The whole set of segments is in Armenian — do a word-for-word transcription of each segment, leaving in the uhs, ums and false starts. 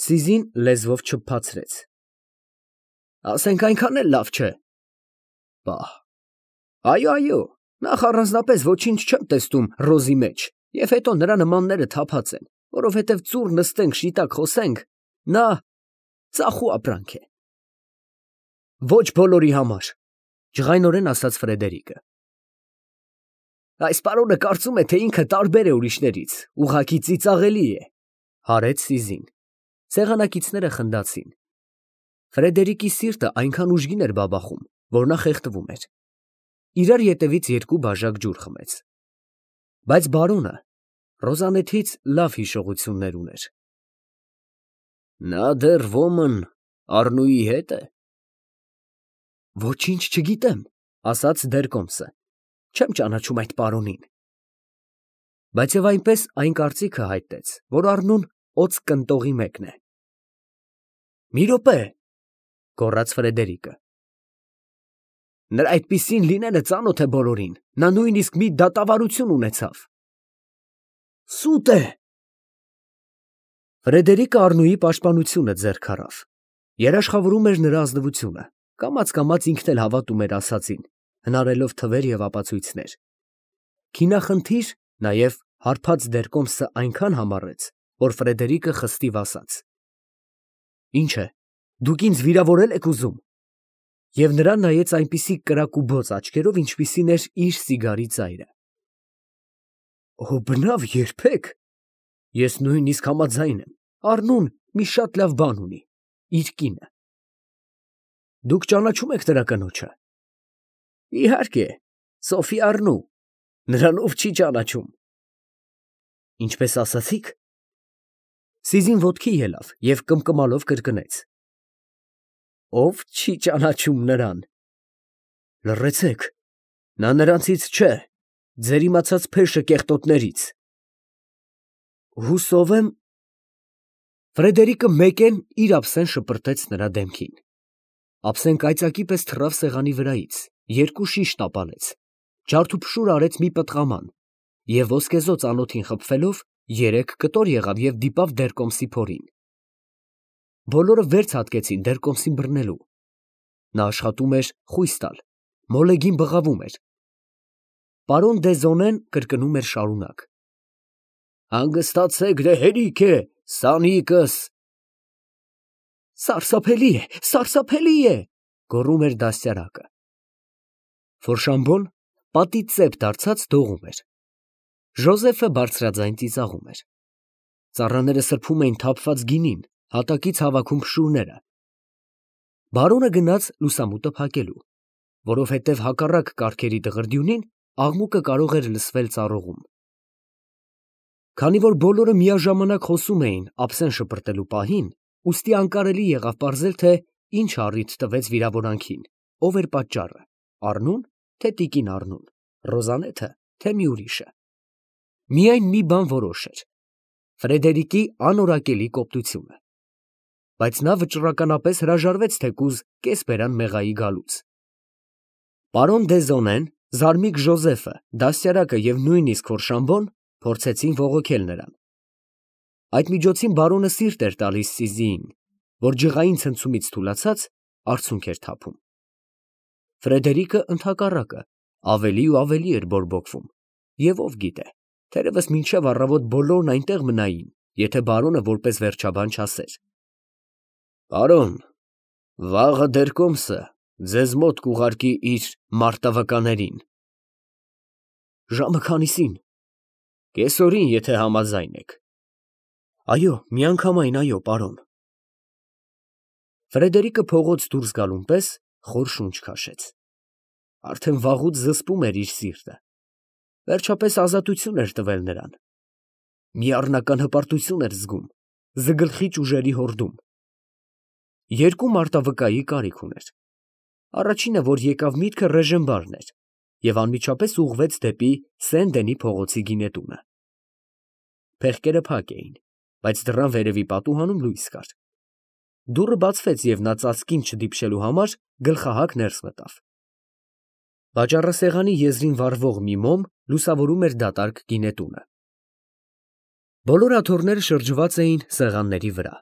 Սիզին լեզվով չփփացրեց։ Ասենք այնքան էլ լավ չէ։ Պահ։ Այո, այո, նախ առանձնապես ոչինչ չեմ տեսնում ռոզի մեջ, և հետո նրա նմանները թափած են, որովհետև ծուռ նստենք, շիտակ խոսենք, նա ծախու ապրանք է։ Ոչ բոլորի համար, ջղայնորեն ասաց Ֆրեդերիկը։ Այս պարոնը կարծում է, թե ինքը տարբեր է ուրիշներից, ուղղակի ծիծաղելի է, հարեց Սիզին։ Սեղանակիցները խնդացին։ Ֆրեդերիկի սիրտը այնքան ուժգին էր բաբախում, որ նա խեղդվում էր։ Իրար ետևից երկու բաժակ ջուր խմեց։ Բայց բարոնը Ռոզանեթից լավ հիշողություններ ուներ։ Նա դեռ ոմն Առնուի հետ է։ Ոչինչ չգիտեմ, ասաց Դերկոմսը, չեմ ճանաչում այդ պարոնին։ Բայց և այնպես այն կարծիքը հայտնեց, որ Առնուն օձ կնտողի մեկն է։ Մի րոպե, գոռաց Ֆրեդերիկը։ Նրա այդպիսին լինելը ծանոթ է բոլորին, նա նույնիսկ մի դատավարություն ունեցավ։ Սուտ է։ Ֆրեդերիկը Առնուի պաշտպանությունը ձեռք առավ։ Երաշխավորում էր նրա ազնվությունը, կամաց֊կամաց ինքն էլ հավատում էր ասածին, հնարելով թվեր և ապացույցներ։ Քինախնդիր, նաև հարբած Դերկոմսը այնքան համառեց, որ Ֆրեդերիկը խստիվ ասաց. Ինչ է, դուք ինձ վիրավորել եք ուզում։ Եվ նրան նայեց այնպիսի կրակուբոծ աչքերով, ինչպիսին էր իր սիգարի ծայրը։ Օ, բնավ երբեք։ Ես նույնիսկ համաձայն եմ, Առնուն մի շատ լավ բան ունի, իր կինը։ Դուք ճանաչում եք նրա կնոջը։ Իհարկե, Սոֆի Առնու, նրան ով չի ճանաչում։ Ինչպես ասացիք։ Սիզին ոտքի ելավ և կմկմալով կրկնեց. Ով չի ճանաչում նրան։ Լռեցեք, նա նրանցից չէ, ձեր իմացած փեշը կեղտոտներից։ Հուսով եմ։ Ֆրեդերիկը մեկեն իր ափսեն շպրտեց նրա դեմքին։ Ափսեն կայծակի պես թռավ սեղանի վրայից, երկու շիշ տապալեց, ջարդուփշուր արեց մի պտղաման և ոսկեզօծ անոթին խփվելով երեք կտոր եղավ և դիպավ Դերկոմսի փորին։ Բոլորը վեր ցատկեցին Դերկոմսին բռնելու։ Նա աշխատում էր խույս տալ, մոլեգին բղավում էր։ Պարոն Դեզոնեն կրկնում էր շարունակ. Հանգստացեք, դե հերիք է, սանիկս։ Սարսափելի է, սարսափելի է, գոռում էր դաստիարակը։ Ֆորշամբոն պատի ծեպ դարձած դողում էր։ Ժոզեֆը բարձրաձայն ծիծաղում էր։ Ծառաները սրբում էին թափված գինին, հատակից հավաքում փշուրները։ Բարոնը գնաց լուսամուտը փակելու, որովհետև հակառակ կառքերի դղրդյունին աղմուկը կարող էր լսվել ծառողում։ Քանի որ բոլորը միաժամանակ խոսում էին ափսեն շպրտելու պահին, ուստի անկարելի եղավ պարզել, թե ինչ առիթ տվեց վիրավորանքին, ով էր պատճառը, Առնուն, թե տիկին Առնուն, Ռոզանեթը, թե մի ուրիշը։ Միայն մի բան որոշ էր. Ֆրեդերիկի անորակելի կոպտությունը։ Բայց նա վճռականապես հրաժարվեց թեկուզ կեսբերան մեղայի գալուց։ Պարոն Դեզոնեն, Զարմիկ Ժոզեֆը, դաստիարակը և նույնիսկ Ֆորշամբոն փորձեցին բողոքել նրան։ Այդ միջոցին բարոնը սիրտ էր տալիս Սիզիին, որ ջղային ցնցումից թուլացած արցունք էր թափում։ Ֆրեդերիկը ընդհակառակը ավելի ու ավելի էր բորբոքվում, և ով գիտե, թերևս մինչև առավոտ բոլորն այնտեղ մնային, եթե բարոնը որպես վերջաբան չասեր. Պարոն, վաղը Դերկոմսը ձեզ մոտ կուղարկի իր մարտավկաներին։ Ժամը քանիսին։ Կեսօրին, եթե համաձայն եք։ Այո, միանգամայն այո, պարոն։ Ֆրեդերիկը փողոց դուրս գալուն պես խոր շունչ քաշեց։ Արդեն վաղուց զսպում էր իր սիրտը։ Վերջապես ազատություն էր տվել նրան։ Մի առնական հպարտություն էր զգում, զգլխիչ ուժերի հորդում։ Երկու մարտավկայի կարիք ուներ։ Առաջինը, որ եկավ միտքը Ռեժենբարն էր և անմիջապես ուղղվեց դեպի Սեն֊Դենի փողոցի գինետունը։ Փեղկերը փակ էին, բայց դռան վերևի պատուհանում լույս կար։ Դուռը բացվեց, և նա ծածկին չդիպչելու համար գլխահակ ներս մտավ։ Վաճառասեղանի եզրին վառվող մի մոմ լուսավորում էր դատարկ գինետունը։ Բոլոր աթոռները շրջված էին սեղանների վրա։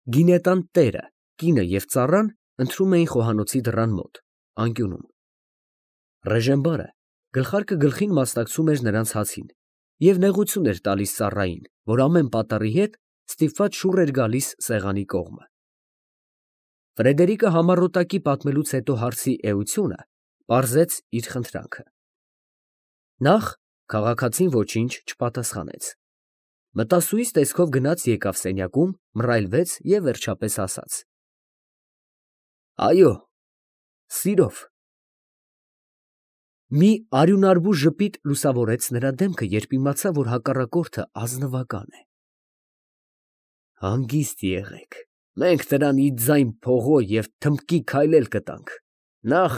Գինետան տերը, կինը և ծառան ընթրում էին խոհանոցի դռան մոտ, անկյունում։ Ռեժենբարը գլխարկը գլխին մասնակցում էր նրանց հացին և նեղություն էր տալիս ծառային, որ ամեն պատառի հետ ստիպված շուռ էր գալիս սեղանի կողմը։ Ֆրեդերիկը համառոտակի պատմելուց հետո հարցի էությունը պարզեց իր խնդրանքը։ Նախ քաղաքացին ոչինչ չպատասխանեց։ Մտասուից տեսքով գնաց եկավ սենյակում, մռայլվեց և վերջապես ասաց. «Այո, սիրով»։ Մի արյունարբու ժպիտ լուսավորեց նրա դեմքը, երբ իմացավ, որ հակառակորդը ազնվական է։ «Հանգիստ եղեք, մենք նրան ի ձայն փողո և թմբկի քայլել կտանք, նախ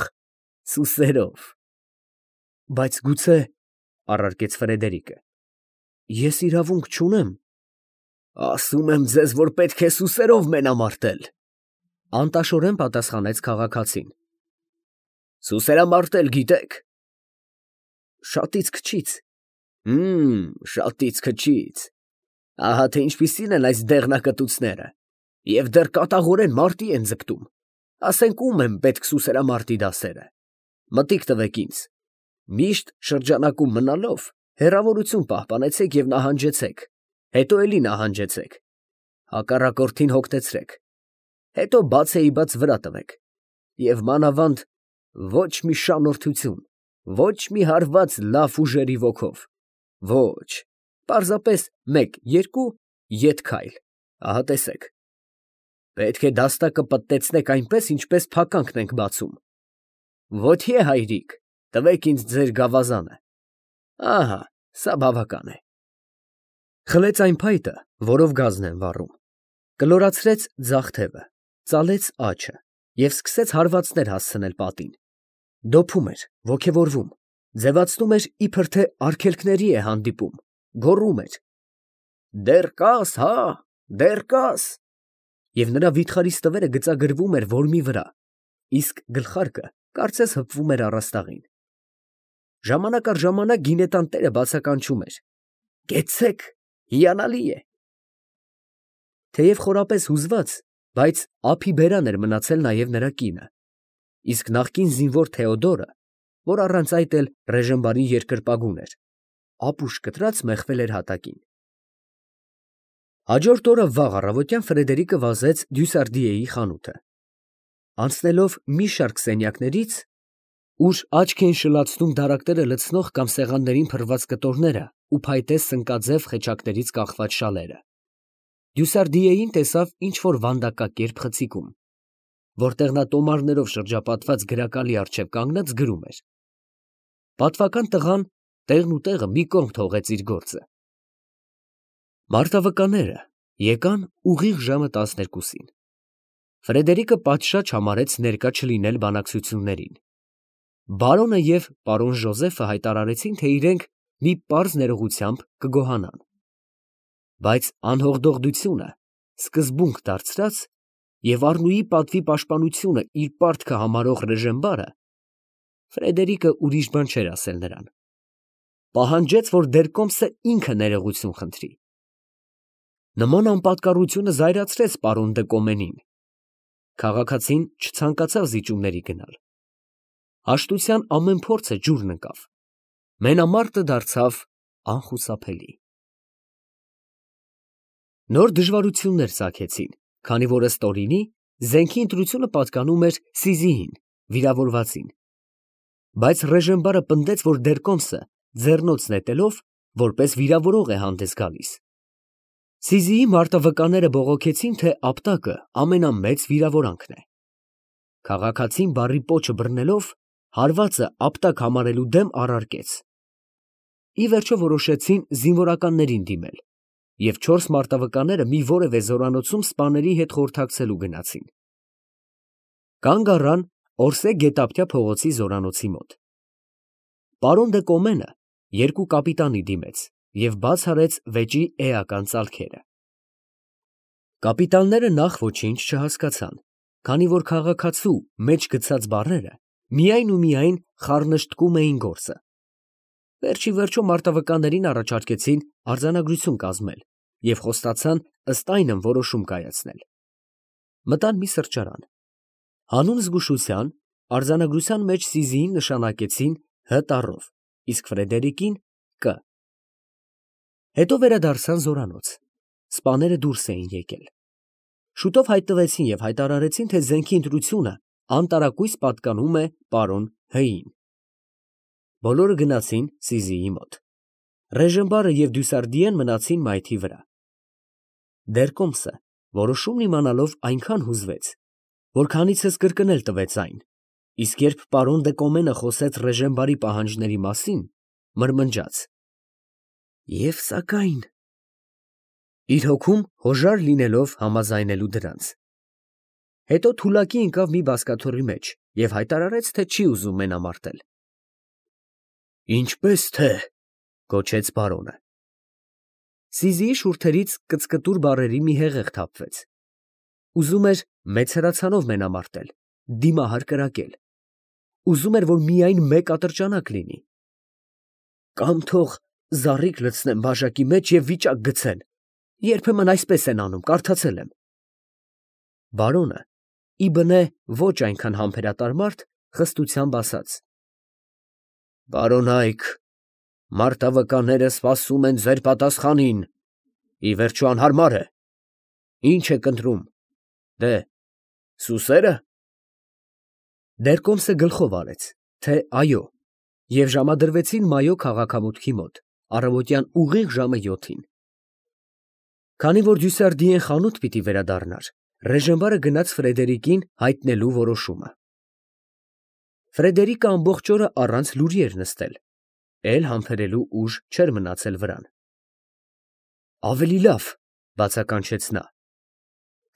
սուսերով»։ ֊ Բայց գուցե, ֊ առարկեց Ֆրեդերիկը, ֊ ես իրավունք չունեմ։ ֊ Ասում եմ ձեզ, որ պետք է սուսերով մենամարտել, ֊ անտաշորեն պատասխանեց քաղաքացին։ ֊ Սուսերամարտել գիտե՞ք։ ֊ Շատից քչից։ ֊ Հըմ, շատից քչից։ Ահա թե ինչպիսին են այս դեղնակտուցները, և դեռ կատաղորեն մարտի են ձգտում։ Ասենք ո՞ւմ են պետք սուսերամարտի դասերը։ Մտիկ տվեք ինձ։ Միշտ շրջանակում մնալով հեռավորություն պահպանեցեք և նահանջեցեք, հետո էլի նահանջեցեք, հակառակորդին հոգնեցրեք, հետո բացեիբաց վրա տվեք, և մանավանդ ոչ մի շանորդություն, ոչ մի հարված լավ ուժերի ոգով, ոչ, պարզապես մեկ, երկու ետ քայլ, ահա տեսեք։ Պետք է դաստակը պտտեցնեք այնպես, ինչպես փականքն ենք բացում։ Ոտի է, հայրիկ, տվեք ինձ ձեր գավազանը։ Ահա, սա բավական է։ Խլեց այն փայտը, որով գազն են վառում, կլորացրեց ձախ թևը, ծալեց աջը և սկսեց հարվածներ հասցնել պատին։ Դոփում էր, ոգևորվում, ձևացնում էր, իբր թե արգելքների է հանդիպում, գոռում էր. «Դեռ կա՞ս, հա, դեռ կա՞ս»։ Եվ նրա վիթխարի ստվերը գծագրվում էր որմի վրա, իսկ գլխարկը կարծես հպվում էր առաստաղին։ Ժամանակ առ ժամանակ գինետան տերը բացականչում էր. «Կեցցե՛ք, հիանալի է»։ Թեև խորապես հուզված, բայց ափի բերան էր մնացել նաև նրա կինը, իսկ նախկին զինվոր Թեոդորը, որ առանց այդ էլ Ռեժենբարի երկրպագուն էր, ապուշ կտրած մեխվել էր հատակին։ Հաջորդ օրը վաղ առավոտյան Ֆրեդերիկը վազեց Դյուսարդիեի խանութը։ Անցնելով մի շարք սենյակներից, ուր աչք էին շլացնում դարակները լցնող կամ սեղաններին փռված կտորները ու փայտե սնկաձև խեչակներից կախված շալերը, Դյուսարդիեին տեսավ ինչ֊որ վանդակակերպ խցիկում, որտեղ նա տոմարներով շրջապատված գրակալի առջև կանգնած գրում էր։ Պատվական տղան տեղն ու տեղը մի կողմ թողեց իր գործը։ Մարտավկանները եկան ուղիղ ժամը տասներկուսին։ Ֆրեդերիկը պատշաճ համարեց ներկա չլինել բանակցություններին։ Բարոնը և պարոն Ժոզեֆը հայտարարեցին, թե իրենք մի պարզ ներողությամբ կգոհանան։ Բայց անհողդողդությունը սկզբունք դարձրած և Առնուի պատվի պաշտպանությունը իր պարտքը համարող Ռեժենբարը Ֆրեդերիկը ուրիշ բան չէր ասել նրան։ Պահանջեց, որ դերկոմսը ինքը ներողություն խնդրի։ Նման անպատկառությունը զայրացրեց պարոն դը Կոմենին։ Քաղաքացին չցանկացավ զիջումների գնալ։ Հաշտության ամեն փորձը ջուրն ընկավ։ Մենամարտը դարձավ անխուսափելի։ Նոր դժվարություններ ծագեցին, քանի որ ըստ օրինի զենքի ընտրությունը պատկանում էր Սիզիին, վիրավորվածին։ Բայց Ռեժենբարը պնդեց, որ դերկոմսը ձեռնոց նետելով որպես վիրավորող է հանդես գալիս։ Սիզիի մարտավկանները բողոքեցին, թե ապտակը ամենամեծ վիրավորանքն է։ Քաղաքացին բառի պոչը բռնելով հարվածը ապտակ համարելու դեմ առարկեց։ Ի վերջո որոշեցին զինվորականներին դիմել, և չորս մարտավկանները մի որևէ զորանոցում սպաների հետ խորհրդակցելու գնացին։ Կանգ առան Օրսե գետափցյա փողոցի զորանոցի մոտ։ Պարոն դը Կոմենը երկու կապիտանի դիմեց և բաց արեց վեճի էական ծալքերը։ Կապիտանները նախ ոչինչ չհասկացան, քանի որ քաղաքացու մեջ գցած բառերը միայն ու միայն խառնշտկում էին գործը։ Վերջ ի վերջո մարտավկաններին առաջարկեցին արձանագրություն կազմել և խոստացան ըստ այնմ որոշում կայացնել։ Մտան մի սրճարան։ Հանուն զգուշության արձանագրության մեջ Սիզիին նշանակեցին Հ տառով, իսկ Ֆրեդերիկին Կ։ Հետո վերադարձան զորանոց։ Սպաները դուրս էին եկել։ Շուտով հայտնվեցին և հայտարարեցին, թե զենքի ընտրությունը անտարակույս պատկանում է պարոն Հ֊ին։ Բոլորը գնացին Սիզիի մոտ։ Ռեժենբարը և Դյուսարդիեն մնացին մայթի վրա։ Դերկոմսը որոշումն իմանալով այնքան հուզվեց, որ քանիցս կրկնել տվեց այն, իսկ երբ պարոն դե Կոմենը խոսեց Ռեժենբարի պահանջների մասին, մրմնջաց. «Եվ սակայն…» իր հոգում հոժար լինելով համաձայնելու դրանց։ Հետո թուլակի ընկավ մի բազկաթոռի մեջ և հայտարարեց, թե չի ուզում մենամարտել։ «Ինչպես թե…» գոչեց պարոնը։ Սիզիի շուրթերից կծկտուր բառերի մի հեղեղ թափվեց։ Ուզում էր մեծ հրացանով մենամարտել, դիմահար կրակել։ Ուզում էր, որ միայն մեկ ատրճանակ լինի։ «Կամ թող զառիք լցնեն բաժակի մեջ և վիճակ գցեն, երբեմն այսպես են անում, կարդացել եմ»։ Բարոնը, ի բնե ոչ այնքան համբերատար մարդ, խստությամբ ասաց. «Պարոնայք, մարտավկանները սպասում են ձեր պատասխանին, ի վերջո անհարմար է, ի՞նչ եք ընտրում, դե, սուսե՞րը»։ Դերկոմսը գլխով արեց, թե այո, և ժամադրվեցին Մայո քաղաքամուտքի մոտ, առավոտյան ուղիղ ժամը յոթին։ Քանի որ Դյուսարդիեն խանութ պիտի վերադառնար, Ռեժենբարը գնաց Ֆրեդերիկին հայտնելու որոշումը։ Ֆրեդերիկը ամբողջ օրը առանց լուրի էր նստել, էլ համբերելու ուժ չէր մնացել վրան։ «Ավելի լավ», բացականչեց նա։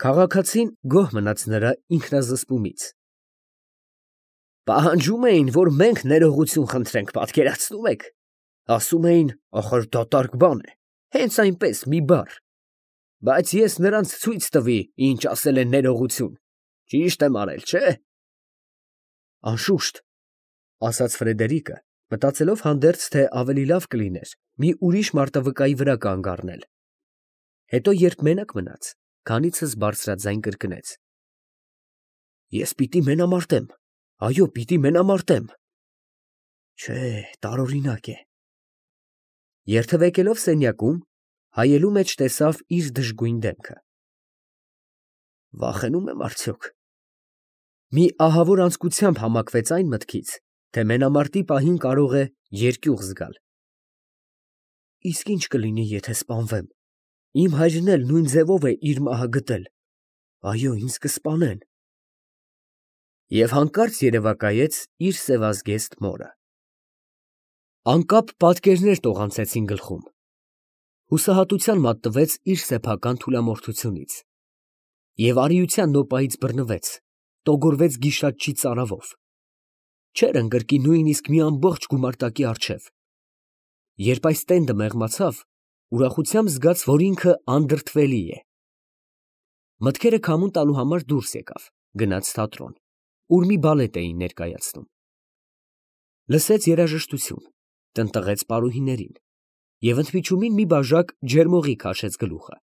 Քաղաքացին գոհ մնաց նրա ինքնազսպումից։ «Պահանջում էին, որ մենք ներողություն խնդրենք, պատկերացնում եք, ասում էին, ախր դատարկ բան է, հենց այնպես մի բառ, բայց ես նրանց ցույց տվի, ինչ ասել է ներողություն, ճիշտ եմ արել, չէ՞»։ «Անշուշտ», ասաց Ֆրեդերիկը, մտածելով հանդերձ, թե ավելի լավ կլիներ մի ուրիշ մարտավկայի վրա կանգ առնել։ Հետո երբ մենակ մնաց, քանիցս բարձրաձայն կրկնեց. «Ես պիտի մենամարտեմ, այո, պիտի մենամարտեմ։ Չէ, տարօրինակ է»։ Երթևեկելով սենյակում, հայելու մեջ տեսավ իր դժգույն դեմքը։ «Վախենու՞մ եմ արդյոք»։ Մի ահավոր անձկությամբ համակվեց այն մտքից, թե մենամարտի պահին կարող է երկյուղ զգալ։ «Իսկ ի՞նչ կլինի, եթե սպանվեմ, իմ հայրն էլ նույն ձևով է իր մահը գտել, այո, ինձ կսպանեն»։ Եվ հանկարծ երևակայեց իր սևազգեստ մորը։ Անկապ պատկերներ տողանցեցին գլխում։ Հուսահատության մատնվեց իր սեփական թուլամորթությունից և արիության նոպայից բռնվեց, տոգորվեց գիշատչի ծարավով։ Չէր ընկրկի նույնիսկ մի ամբողջ գումարտակի առջև։ Երբ այս տենդը մեղմացավ, ուրախությամբ զգաց, որ ինքը անդրդվելի է։ Մտքերը քամուն տալու համար դուրս եկավ, գնաց թատրոն, ուր մի բալետ էին ներկայացնում։ Լսեց երաժշտություն, տնտղեց պարուհիներին և ընդմիջումին մի բաժակ ջերմօղի քաշեց գլուխը։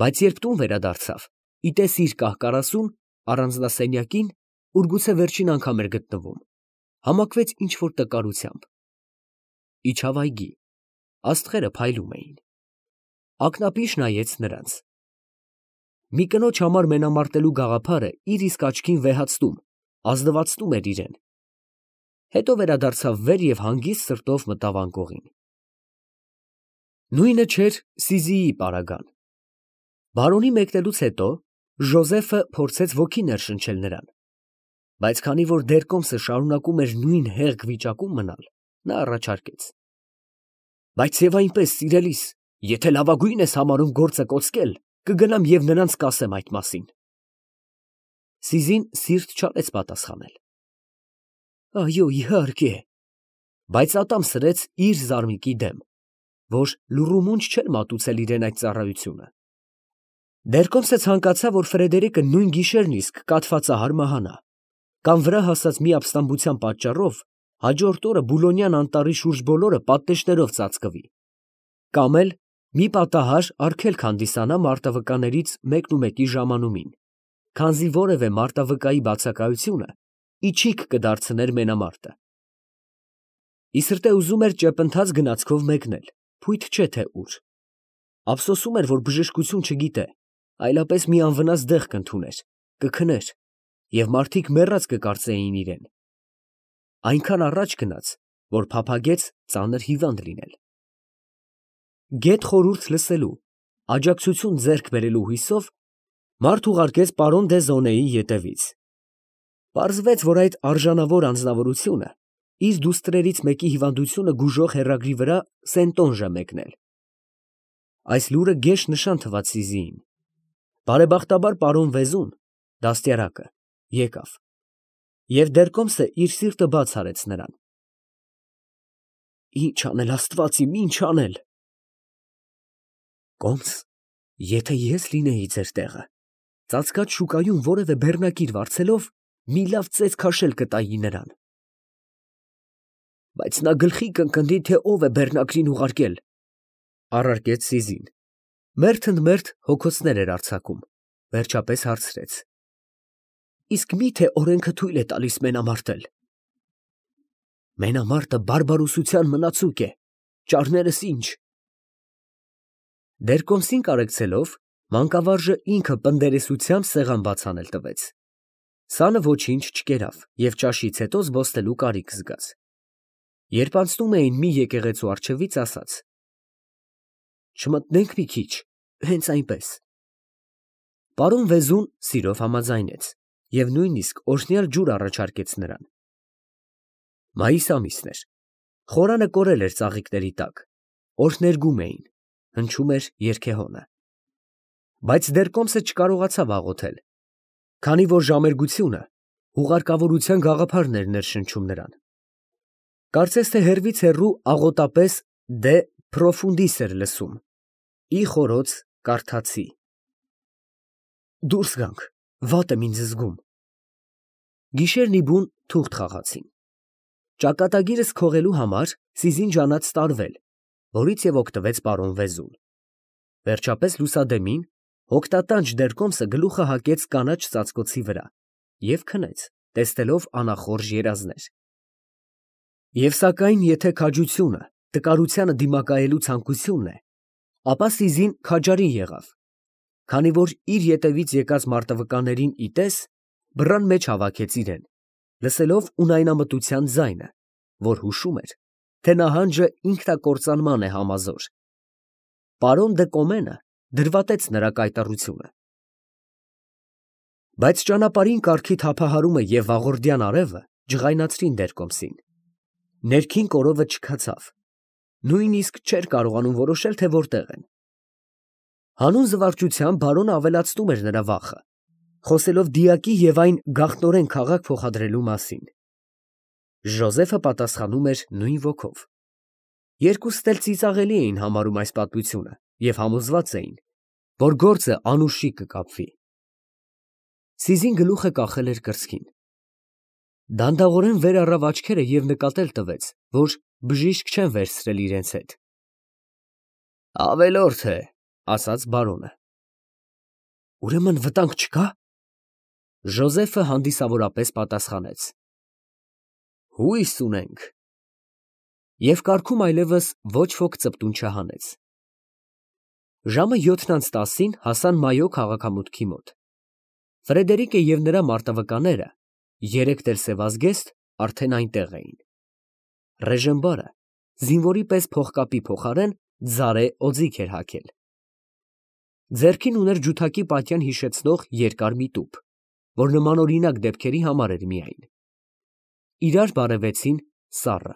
Բայց երբ տուն վերադարձավ, ի տես իր կահ֊կարասուն, առանձնասենյակին, ուր գուցե վերջին անգամ էր գտնվում, համակվեց ինչ֊որ տկարությամբ։ Իջավ այգի, աստղերը փայլում էին։ Ակնապիշ նայեց նրանց։ Մի կնոջ համար մենամարտելու գաղափարը իր իսկ աչքին վեհացնում, ազնվացնում էր իրեն։ Հետո վերադարձավ վեր և հանգիստ սրտով մտավ անկողին։ Նույնը չէր Սիզիի պարագան։ Բարոնի մեկնելուց հետո Ժոզեֆը փորձեց ոգի ներշնչել նրան, բայց քանի որ Դերկոմսը շարունակում էր նույն հեղգ վիճակում մնալ, նա առաջարկեց. «Բայց և այնպես, սիրելիս, եթե լավագույն ես համարում գործը կոծկել, կգնամ և նրանց կասեմ այդ մասին»։ Սիզին սիրտ չարեց պատասխանել. «Այո, իհարկե», բայց ատամ սրեց իր զարմիկի դեմ, որ լուռումունջ չէր մատուցել իրան այդ ծառայությունը։ Դերկոմսը ցանկացավ, որ Ֆրեդերիկը նույն գիշերն իսկ կաթվածահար մահանա, կամ վրա հասած մի ապստամբության պատճառով հաջորդ օրը Բուլոնյան անտառի շուրջ բոլորը պատնեշներով ծածկվի, կամ էլ մի պատահար արգելք հանդիսանա մարտավկաներից մեկնումեկի ժամանումին։ քանզի որևէ մարտավկայի բացակայությունը իչիք կդարձներ մենամարտը։ Ի սրտե ուզում էր ճեպընթաց գնացքով մեկնել, փույթ չէ թե ուր։ Ափսոսում էր, որ բժշկություն չգիտե, այլապես մի անվնաս դեղ կընդուներ, կքներ, և մարդիկ մեռած կկարծեին իրեն։ Այնքան առաջ գնաց, որ փափագեց ծանր հիվանդ լինել։ Գեթ խորհուրդ լսելու, աջակցություն ձեռք բերելու հույսով մարդ ուղարկեց պարոն դե Զոնեի ետևից։ Պարզվեց, որ այդ արժանավոր անձնավորությունը իր դուստրերից մեկի հիվանդությունը գուժող հեռագրի վրա սենտոնժ է մեկնել։ Այս լուրը գեշ նշան թվաց Սիզիին։ Բարեբախտաբար պարոն Վեզուն, դաստիարակը, եկավ, և դեռ կոմսը իր սիրտը բաց արեց նրան։ Ի՞նչ անել, Աստված իմ, ի՞նչ անել։ Կոմս, եթե ես լինեի ձեր տեղը, ծածկած շուկայում որևէ բեռնակիր վարձելով, մի լավ ծեծ քաշել կտայի նրան։ Բայց նա գլխի կընկնի, թե ով է բեռնակրին ուղարկել, առարկեց Սիզին, մերթ ընդ մերթ հոգոցներ էր արձակում, վերջապես հարցրեց. Իսկ մի՞թե օրենքը թույլ է տալիս մենամարտել։ Մենամարտը բարբարոսության մնացուկ է, ճարներս ինչ։ Դեռ կոմսին կարեկցելով, մանկավարժը ինքը պնդերեսությամբ սեղան բաց անել տվեց։ Սանը ոչինչ չկերավ և ճաշից հետո զբոսնելու կարիք զգաց։ Երբ անցնում էին մի եկեղեցու առջևից, ասաց. Չմտնենք մի քիչ, հենց այնպես։ Պարոն Վեզուն սիրով համաձայնեց և նույնիսկ օրհնյալ ջուր առաջարկեց նրան։ Մայիս ամիսն էր, խորանը կորել էր ծաղիկների տակ, օրհներգում էին, հնչում էր երգեհոնը։ Բայց դեռ կոմսը չկարողացավ աղոթել, քանի որ ժամերգությունը հուղարկավորության գաղափարն էր ներշնչում նրան։ Կարծես թե հեռվից հեռու աղոտապես դե պրոֆունդիս էր լսում, ի խորոց կարդացի։ Դուրս գանք, վատ եմ ինձ զգում։ Գիշերն ի բուն թուղթ խաղացին։ Ճակատագիրս քողելու համար Սիզին ջանաց տարվել, որից և օգտվեց պարոն Վեզուն։ Վերջապես լուսադեմին հոգտատանչ դեռ կոմսը գլուխը հագեց կանաչ ծածկոցի վրա և քնեց, տեսնելով անախորժ երազներ։ Եվ սակայն, եթե քաջությունը տկարությանը դիմակայելու ցանկությունն է, ապա Սիզին քաջարի եղավ, քանի որ իր ետևից եկած մարտավկաներին ի տես, բռան մեջ հավաքեց իրեն, լսելով ունայնամտության ձայնը, որ հուշում էր, թե նահանջը ինքնակործանման է համազոր։ Պարոն դը Կոմենը դրվատեց նրա կայտառությունը։ Բայց ճանապարհին կառքի թափահարումը և վաղորդյան արևը ջղայնացրին դեռ կոմսին։ Ներքին կորովը չքացավ, նույնիսկ չէր կարողանում որոշել, թե որտեղ են։ Հանուն զվարճության բարոնը ավելացնում էր նրա վախը, խոսելով դիակի և այն գաղտնորեն քաղաք փոխադրելու մասին։ Ժոզեֆը պատասխանում էր նույն ոգով։ Երկուսն էլ ծիծաղելի էին համարում այս պատմությունը և համոզված էին, որ գործը անուշի կկապվի։ Սիզին գլուխը կախել էր կրծքին։ Դանդաղորեն վեր առավ աչքերը և նկատել տվեց, որ բժիշկ չեն վերցրել իրենց հետ։ Ավելորդ է, ասաց բարոնը։ Ուրեմն վտանգ չկա։ Ժոզեֆը հանդիսավորապես պատասխանեց. Հույս ունենք։ Եվ կառքում այլևս ոչ ոք ծպտուն չհանեց։ Ժամը յոթն անց տասին հասան Մայո քաղաքամուտքի մոտ։ Ֆրեդերիկը և նրա մարտավկաները, երեք տերսևազգեստ, արդեն այնտեղ էին։ Ռեժենբարը զինվորի պես փողկապի փոխարեն ձարե օձիք էր հագել։ Ձեռքին ուներ ջութակի պատյան հիշեցնող երկար մի տուփ, որ նմանօրինակ դեպքերի համար էր միայն։ Իրար բարևեցին սառը։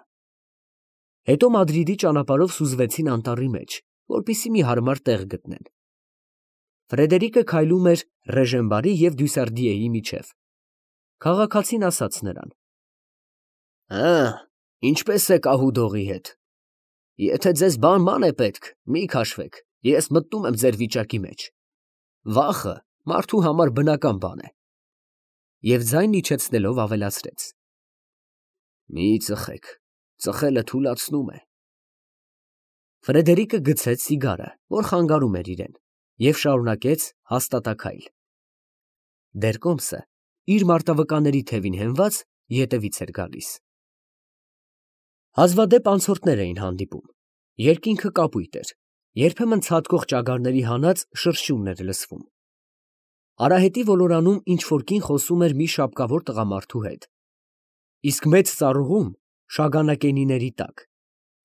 Հետո Մադրիդի ճանապարհով սուզվեցին անտառի մեջ, որպեսզի մի հարմար տեղ գտնեն։ Ֆրեդերիկը քայլում էր Ռեժենբարի և Դյուսարդիեի միջև։ Քաղաքացին ասաց նրան. Հը, ինչպես է կահուդողի հետ։ Եթե ձեզ բան-ման է պետք, մի քաշվեք, ես մտնում եմ ձեր վիճակի մեջ։ Վախը մարդու համար բնական բան է։ Եվ ձայն իջեցնելով ավելացրեց. Մի ծխեք, ծխելը թուլացնում է։ Ֆրեդերիկը գցեց սիգարը, որ խանգարում էր իրեն, և շարունակեց հաստատաքայլ։ Դեռ կոմսը իր մարտավկանների թևին հենված ետևից էր գալիս։ Հազվադեպ անցորդներ էին հանդիպում, երկինքը կապույտ էր, երբեմն ցատկող ճագարների հանած շրշյունն էր լսվում։ Արահետի ոլորանում ինչ֊որ կին խոսում էր մի շապկավոր տղամարդու հետ, իսկ մեծ ծառուղում շագանակենիների տակ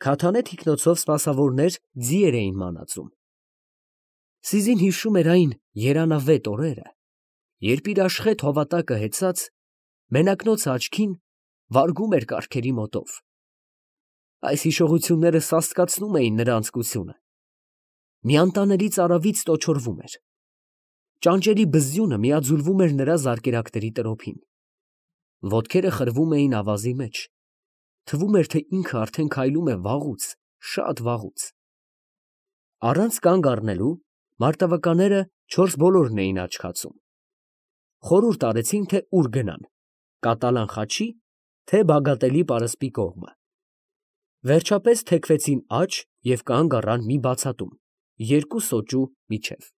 քաթանե թիկնոցով սպասավորներ ձիեր էին մանածում։ Սիզին հիշում էր այն երանավետ օրերը, երբ իր աշխեթ հովատակը հեծած մենակնոց աչքին վարգում էր կառքերի մոտով։ Այս հիշողությունները սաստկացնում էին նրա անձկությունը։ Մի անտանելի ծարավից տոչորվում էր։ Ճանճերի բզզյունը միաձուլվում էր նրա զարկերակների տրոփին։ Ոտքերը խրվում էին ավազի մեջ։ Թվում էր, թե ինքը արդեն քայլում է վաղուց, շատ վաղուց։ Առանց կանգ առնելու մարտավականները չորս բոլորն էին աչքացում։ Խորհուրդ արեցին, թե ուր գնան՝ Կատալան Խաչի, թե Բագատելի պարսպի կողմը։ Վերջապես թեքվեցին աջ և կանգ առան մի բացատում, երկու սոճու միջև։